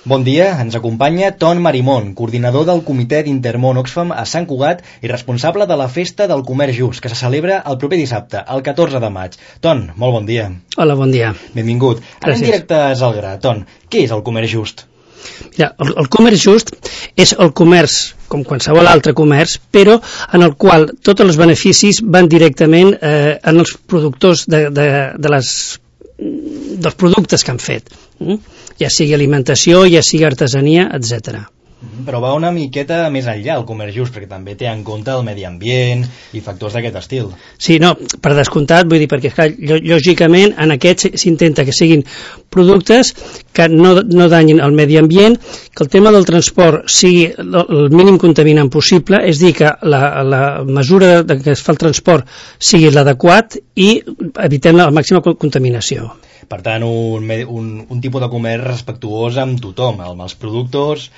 Bon dia, ens acompanya Ton Marimón, coordinador del Comitè d'Intermón Oxfam a Sant Cugat i responsable de la Festa del Comerç Just, que se celebra el proper dissabte, el 14 de maig. Ton, molt bon dia. Hola, bon dia. Benvingut. Anem directes al gra. Ton, què és el Comerç Just? Mira, el comerç just és el comerç, com qualsevol altre comerç, però en el qual tots els beneficis van directament en els productors dels productes que han fet, ja sigui alimentació, ja sigui artesania, etc. Però va una miqueta més enllà el comerç just, perquè també té en compte el medi ambient i factors d'aquest estil. Sí, no, per descomptat, vull dir, perquè lògicament en aquests s'intenta que siguin productes que no danyin el medi ambient, que el tema del transport sigui el mínim contaminant possible, és dir, que la mesura que es fa el transport sigui l'adequat i evitem la màxima contaminació. Per tant, un tipus de comerç respectuós amb tothom, amb els productors,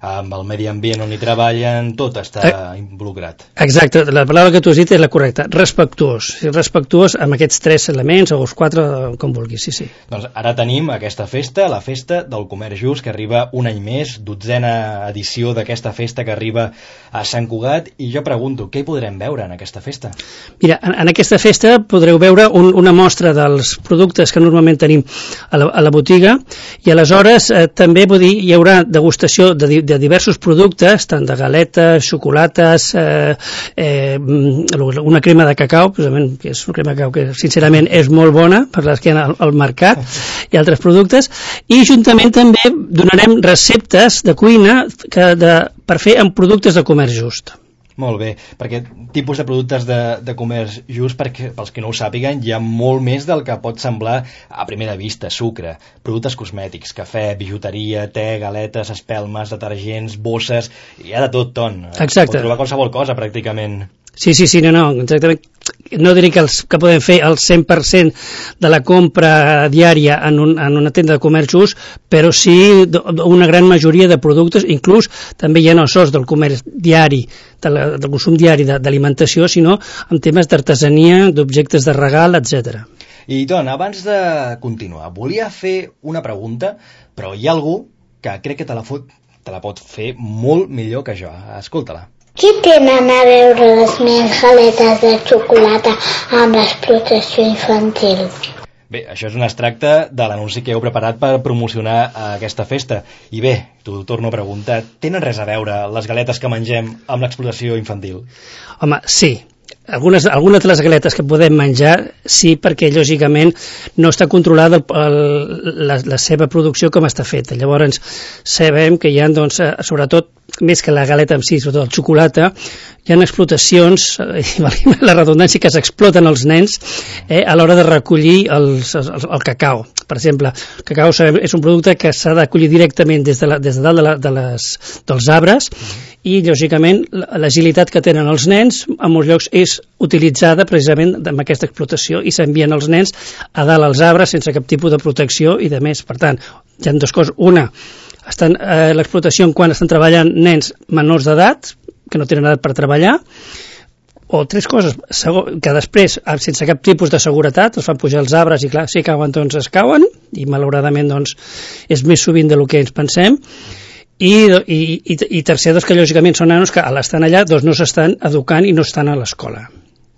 amb el medi ambient on hi treballen, tot està involucrat. Exacte, la paraula que tu has dit és la correcta, respectuós. Respectuós amb aquests 3 elements, o els 4, com vulguis, sí. Doncs ara tenim aquesta festa, la Festa del Comerç Just, que arriba un any més, 12a edició d'aquesta festa que arriba a Sant Cugat, i jo pregunto, què hi podrem veure en aquesta festa? Mira, en aquesta festa podreu veure una mostra dels productes que normalment tenim a la botiga, i aleshores també hi haurà degustació de diversos productes, tant de galetes, xocolates, una crema de cacau, precisament, que és una crema de cacau que sincerament és molt bona per les que hi ha al mercat, i altres productes, i juntament també donarem receptes de cuina per fer amb productes de comerç just. Molt bé, perquè tipus de productes de comerç just, perquè pels que no ho sàpiguen, hi ha molt més del que pot semblar a primera vista: sucre, productes cosmètics, cafè, bijuteria, te, galetes, espelmes, detergents, bosses, hi ha de tot, Ton. Exacte. Pot trobar qualsevol cosa, pràcticament. Sí, no, exactament. No diré que podem fer el 100% de la compra diària en una tenda de comerç just, però sí una gran majoria de productes, inclús també hi ha no sols del comerç diari, del consum diari d'alimentació, sinó en temes d'artesania, d'objectes de regal, etc. I Ton, abans de continuar, volia fer una pregunta, però hi ha algú que crec que te la pot fer molt millor que jo. Escolta-la. Què tenen a veure les meves galetes de xocolata amb l'explotació infantil? Bé, això és un extracte de l'anunci que heu preparat per promocionar aquesta festa. I bé, t'ho torno a preguntar, tenen res a veure les galetes que mengem amb l'explotació infantil? Home, sí. Algunes de les galetes que podem menjar, sí, perquè lògicament no està controlada la seva producció com està feta. Llavors sabem que hi ha, doncs, sobretot, més que la galeta en si, sobretot el xocolata, hi ha explotacions, la redundància, que s'exploten els nens a l'hora de recollir el cacau. Per exemple, el cacau sabem, és un producte que s'ha de collir directament des de dalt dels arbres, i lògicament l'agilitat que tenen els nens en molts llocs és utilitzada precisament amb aquesta explotació, i s'envien els nens a dalt als arbres sense cap tipus de protecció i de més. Per tant, hi ha dues coses. Una, l'explotació quan estan treballant nens menors d'edat que no tenen edat per treballar, o 3 coses, que després sense cap tipus de seguretat els fan pujar els arbres i clar, si cauen doncs es cauen, i malauradament doncs és més sovint del que ens pensem. I tercer, doncs, que lògicament són nanos que a l'estar allà doncs no s'estan educant i no estan a l'escola.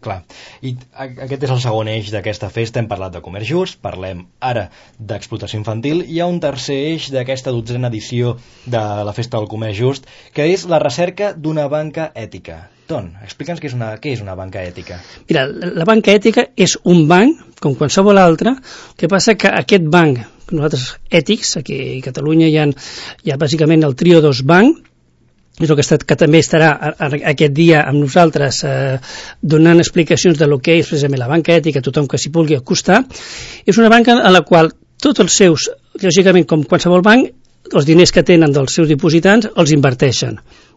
Clar, i aquest és el segon eix d'aquesta festa. Hem parlat de comerç just, parlem ara d'explotació infantil. Hi ha un tercer eix d'aquesta 12a edició de la Festa del Comerç Just, que és la recerca d'una banca ètica. Ton, explica'ns què és una banca ètica. Mira, la banca ètica és un banc, com qualsevol altre, que passa que aquest banc, nosaltres ètics, aquí a Catalunya hi ha bàsicament el trio 2 banc, és el que també estarà aquest dia amb nosaltres donant explicacions de lo que és precisament la banca ètica a tothom que s'hi pugui acostar. És una banca a la qual tots els seus, lògicament com qualsevol banc, els diners que tenen dels seus dipositants els inverteixen.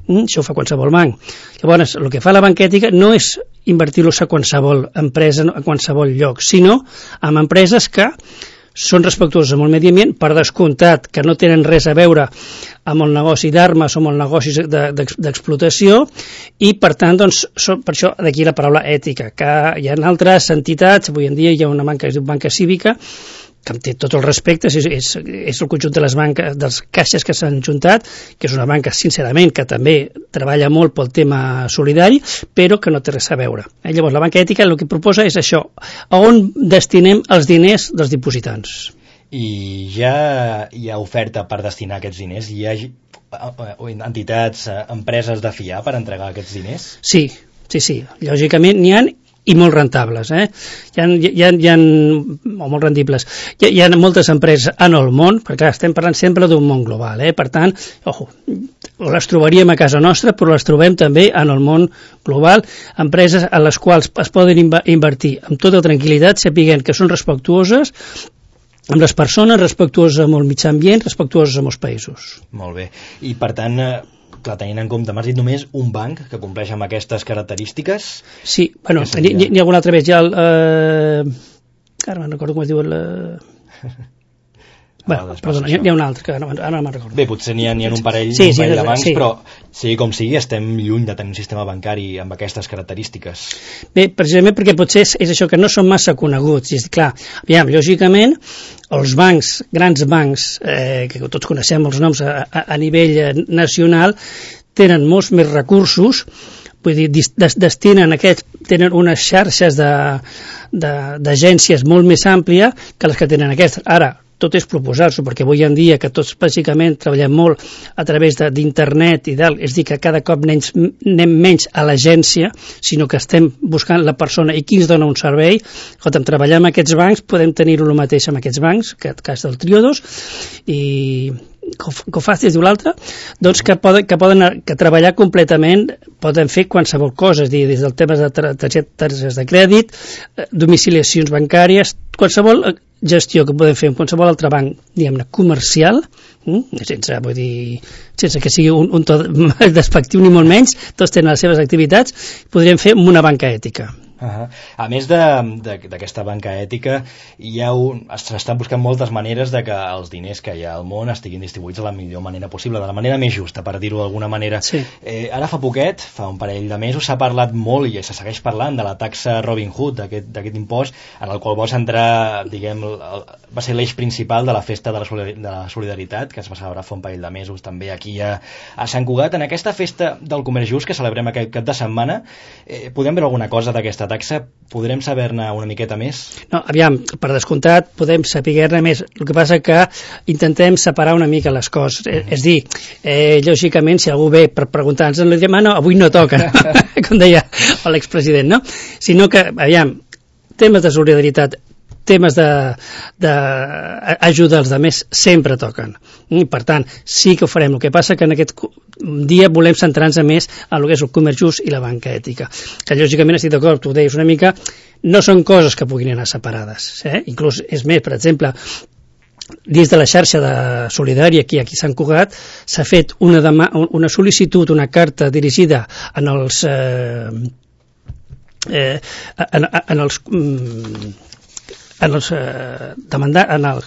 Això ho fa qualsevol banc. Llavors, el que fa la banca ètica no és invertir-los a qualsevol empresa, a qualsevol lloc, sinó en empreses que són respectuosos amb el medi ambient, per descomptat que no tenen res a veure amb el negoci d'armes o amb el negoci d'explotació, i per tant, doncs, per això d'aquí la paraula ètica, que hi ha altres entitats, avui en dia hi ha una banca que es diu banca cívica, que em té tots els respectes, és el conjunt de les banques, dels caixes que s'han juntat, que és una banca, sincerament, que també treballa molt pel tema solidari, però que no té res a veure. Llavors, la banca ètica el que proposa és això, a on destinem els diners dels dipositants. I ja hi ha oferta per destinar aquests diners? Hi ha entitats, empreses de fiar per entregar aquests diners? Sí. Lògicament n'hi ha i molt rentables, hi ha molt rendibles. Hi ha moltes empreses en el món, perquè clar, estem parlant sempre d'un món global, per tant, les trobaríem a casa nostra, però les trobem també en el món global, empreses a les quals es poden invertir amb tota tranquil·litat, sapiguent que són respectuoses amb les persones, respectuoses amb el mitjà ambient, respectuoses amb els països. Molt bé, i per tant, clar, tenint en compte, m'has dit només un banc que compleix amb aquestes característiques? Sí, bueno, n'hi ha algun altre més, ja ara me'n recordo com es diu perdona, n'hi ha un altre, que ara no me'n recordo. Bé, potser n'hi ha un parell de bancs, però sigui com sigui, estem lluny de tenir un sistema bancari amb aquestes característiques. Bé, precisament perquè potser és això, que no són massa coneguts. I clar, lògicament, els bancs, grans bancs, que tots coneixem els noms a nivell nacional, tenen molts més recursos, vull dir, tenen unes xarxes d'agències molt més àmplies que les que tenen aquestes. Ara, tot és proposar-s'ho, perquè avui en dia que tots bàsicament treballem molt a través d'internet i d'alt, és dir, que cada cop anem menys a l'agència, sinó que estem buscant la persona i qui ens dona un servei. Escolta'm, treballar amb aquests bancs, podem tenir-ho el mateix amb aquests bancs, que el cas del Triodos, i Cofaz es diu l'altre, doncs que treballar completament poden fer qualsevol cosa, és dir, des del tema de targetes de crèdit, domiciliacions bancàries, qualsevol gestió que podem fer en qualsevol altre banc, diguem-ne, comercial, sense que sigui un to despectiu ni molt menys, tots tenen les seves activitats, podríem fer amb una banca ètica. A més d'aquesta banca ètica, s'estan buscant moltes maneres de que els diners que hi ha al món estiguin distribuïts de la millor manera possible, de la manera més justa, per dir-ho d'alguna manera. Sí. Ara fa poquet, fa un parell de mesos, s'ha parlat molt i se segueix parlant de la taxa Robin Hood, d'aquest impost, en el qual vols entrar, diguem, va ser l'eix principal de la festa de la solidaritat, que es va celebrar fa un parell de mesos també aquí a Sant Cugat. En aquesta festa del comerç just que celebrem aquest cap de setmana, podem veure alguna cosa d'aquesta taxa? Podrem saber-ne una miqueta més? No, aviam, per descomptat podem saber-ne més, el que passa que intentem separar una mica les coses, és dir, lògicament si algú ve per preguntar-nos, li diem, no, avui no toca, com deia l'expresident, no? Sinó que, aviam, temes de solidaritat, temes d'ajuda als altres sempre toquen. I, per tant, sí que ho farem. El que passa que en aquest dia volem centrar-nos més en el que és el comerç just i la banca ètica. Que, lògicament, estic d'acord, tu ho deies una mica, no són coses que puguin anar separades. Inclús, és més, per exemple, dins de la xarxa de solidària aquí a Sant Cugat s'ha fet una sol·licitud, una carta dirigida en els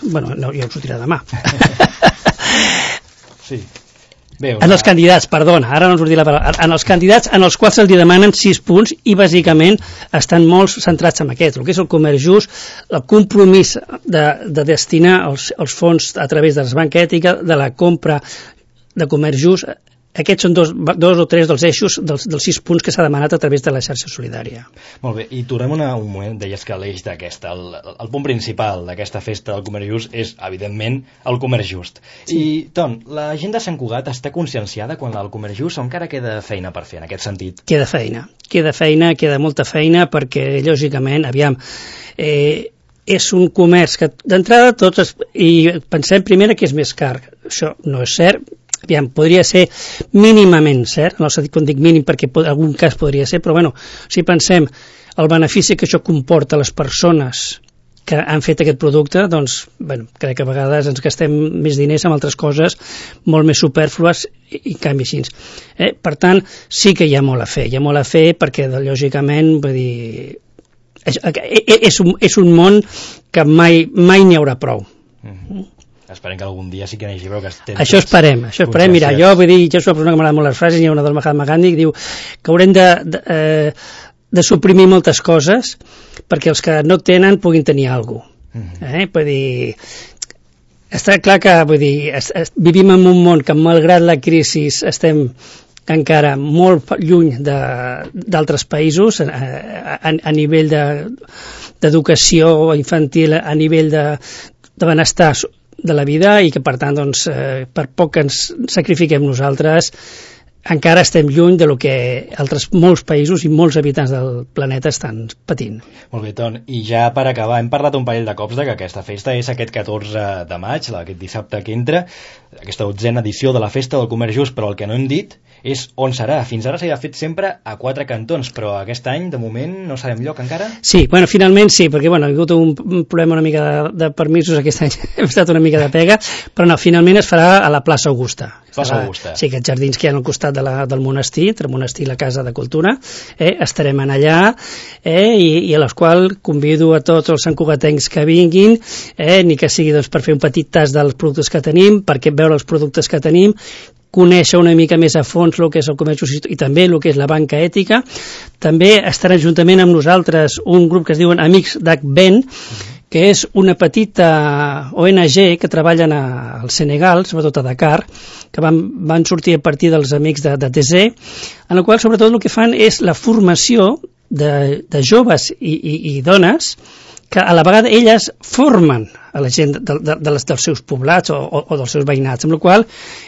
bueno, no, ja ho sortirà demà. Sí. Bé, en els candidats, perdona, ara no ens sortirà la paraula, en els candidats en els quals se'ls demanen 6 punts i bàsicament estan molt centrats en aquest, el que és el comerç just, el compromís de destinar els fons a través de la banca ètica, de la compra de comerç just. Aquests són dos o tres dels eixos dels 6 punts que s'ha demanat a través de la xarxa solidària. Molt bé, i tornem un moment, deies que l'eix d'aquesta, el punt principal d'aquesta festa del comerç just és, evidentment, el comerç just. Sí. I, Ton, la gent de Sant Cugat està conscienciada quan el comerç just o encara queda feina per fer en aquest sentit? Queda molta feina, perquè, lògicament, aviam, és un comerç que d'entrada tots, i pensem primer que és més car. Això no és cert. Aviam, podria ser mínimament cert, no sé quan dic mínim perquè en algun cas podria ser, però bueno, si pensem el benefici que això comporta a les persones que han fet aquest producte, doncs, bueno, crec que a vegades ens gastem més diners en altres coses molt més superflues i en canvi així. Per tant, sí que hi ha molt a fer perquè, lògicament, vull dir, és un món que mai n'hi haurà prou. Esperem que algun dia sí que n'hi hagi prou. Això esperem. Mira, jo vull dir, jo soc una persona que m'agrada molt les frases, hi ha una del Mahatma Gandhi que diu que haurem de suprimir moltes coses perquè els que no tenen puguin tenir alguna cosa. Vull dir, està clar que vivim en un món que, malgrat la crisi, estem encara molt lluny d'altres països a nivell d'educació infantil, a nivell de benestar de la vida, i que per tant doncs, per poc que ens sacrifiquem nosaltres encara estem lluny de lo que molts països i molts habitants del planeta estan patint. Molt bé, Ton. I ja per acabar, hem parlat un parell de cops que aquesta festa és aquest 14 de maig, aquest dissabte que entra, aquesta 12a edició de la Festa del Comerç Just, però el que no hem dit és on serà. Fins ara s'ha fet sempre a 4 cantons, però aquest any, de moment, no sabem lloc encara? Sí, finalment sí, perquè ha hagut un problema una mica de permisos aquest any, hem estat una mica de pega, però no, finalment es farà a la plaça Augusta. Plaça Augusta. Sí, aquests jardins que hi ha al costat del monestir, entre el monestir i la Casa de Cultura, estarem en allà, i a les quals convido a tots els santcugatencs que vinguin, ni que sigui doncs, per fer un petit tas dels productes que tenim, perquè veure els productes que tenim, conèixer una mica més a fons el que és el comerç just i també el que és la banca ètica. També estarà juntament amb nosaltres un grup que es diuen Amics d'Agben, que és una petita ONG que treballen al Senegal, sobretot a Dakar, que van sortir a partir dels amics de TC, en el qual sobretot el que fan és la formació de joves i dones que a la vegada elles formen a la gent dels seus poblats o dels seus veïnats, amb la qual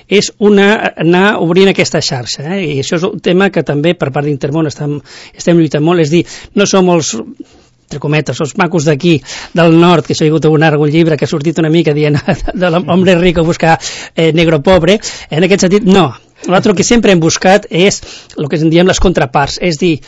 és anar obrint aquesta xarxa, i això és un tema que també per part d'Intermón estem lluitant molt, és dir, no som els entre cometes, els macos d'aquí del nord, que això hi ha hagut algun llibre que ha sortit una mica dient de l'hombre rico buscar negro pobre, en aquest sentit no, nosaltres el que sempre hem buscat és el que en diem les contraparts, és dir,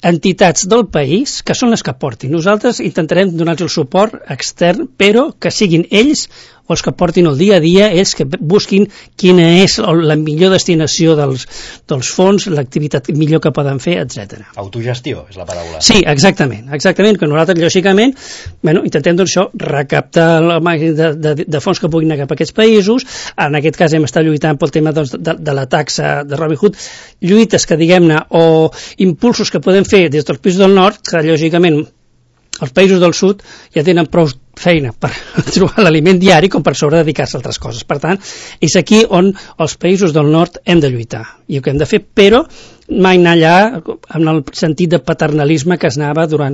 entitats del país que són les que portin. Nosaltres intentarem donar-los el suport extern, però que siguin ells o els que portin el dia a dia, ells que busquin quina és la millor destinació dels fons, l'activitat millor que poden fer, etc. Autogestió és la paraula. Sí, exactament, que nosaltres, lògicament, intentem doncs això, recaptar el màxim de fons que puguin anar cap a aquests països. En aquest cas hem estat lluitant pel tema doncs, de la taxa de Robin Hood, lluites que, diguem-ne, o impulsos que podem fer des dels països del nord, que lògicament els països del sud ja tenen prou feina per trobar l'aliment diari com per sobre dedicar-se a altres coses. Per tant, és aquí on els països del nord hem de lluitar i el que hem de fer, però mai anar allà en el sentit de paternalisme que es anava durant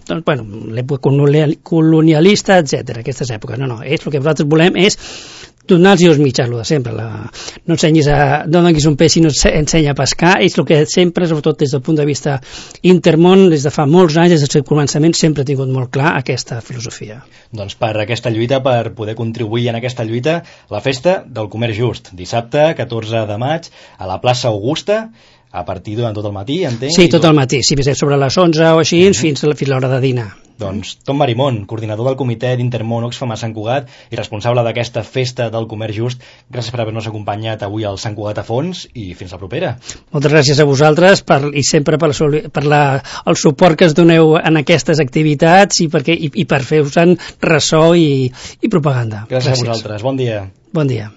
l'època colonialista, etc. Aquestes èpoques. No, el que nosaltres volem és donar-los els mitjans, el de sempre. No donis un peix i no ensenya a pescar, és el que sempre, sobretot des del punt de vista Intermón, des de fa molts anys, des del seu començament, sempre ha tingut molt clar aquesta filosofia. Doncs per aquesta lluita, per poder contribuir en aquesta lluita, la Festa del Comerç Just, dissabte 14 de maig, a la plaça Augusta, a partir durant tot el matí, entenc? Sí, tot el matí, sobre les 11 o així, fins a l'hora de dinar. Doncs Ton Marimón, coordinador del comitè d'Intermón Oxfam a Sant Cugat i responsable d'aquesta Festa del Comerç Just, gràcies per haver-nos acompanyat avui al Sant Cugat a fons i fins la propera. Moltes gràcies a vosaltres i sempre per el suport que es doneu en aquestes activitats i per fer-vos ressò i propaganda. Gràcies a vosaltres, bon dia. Bon dia.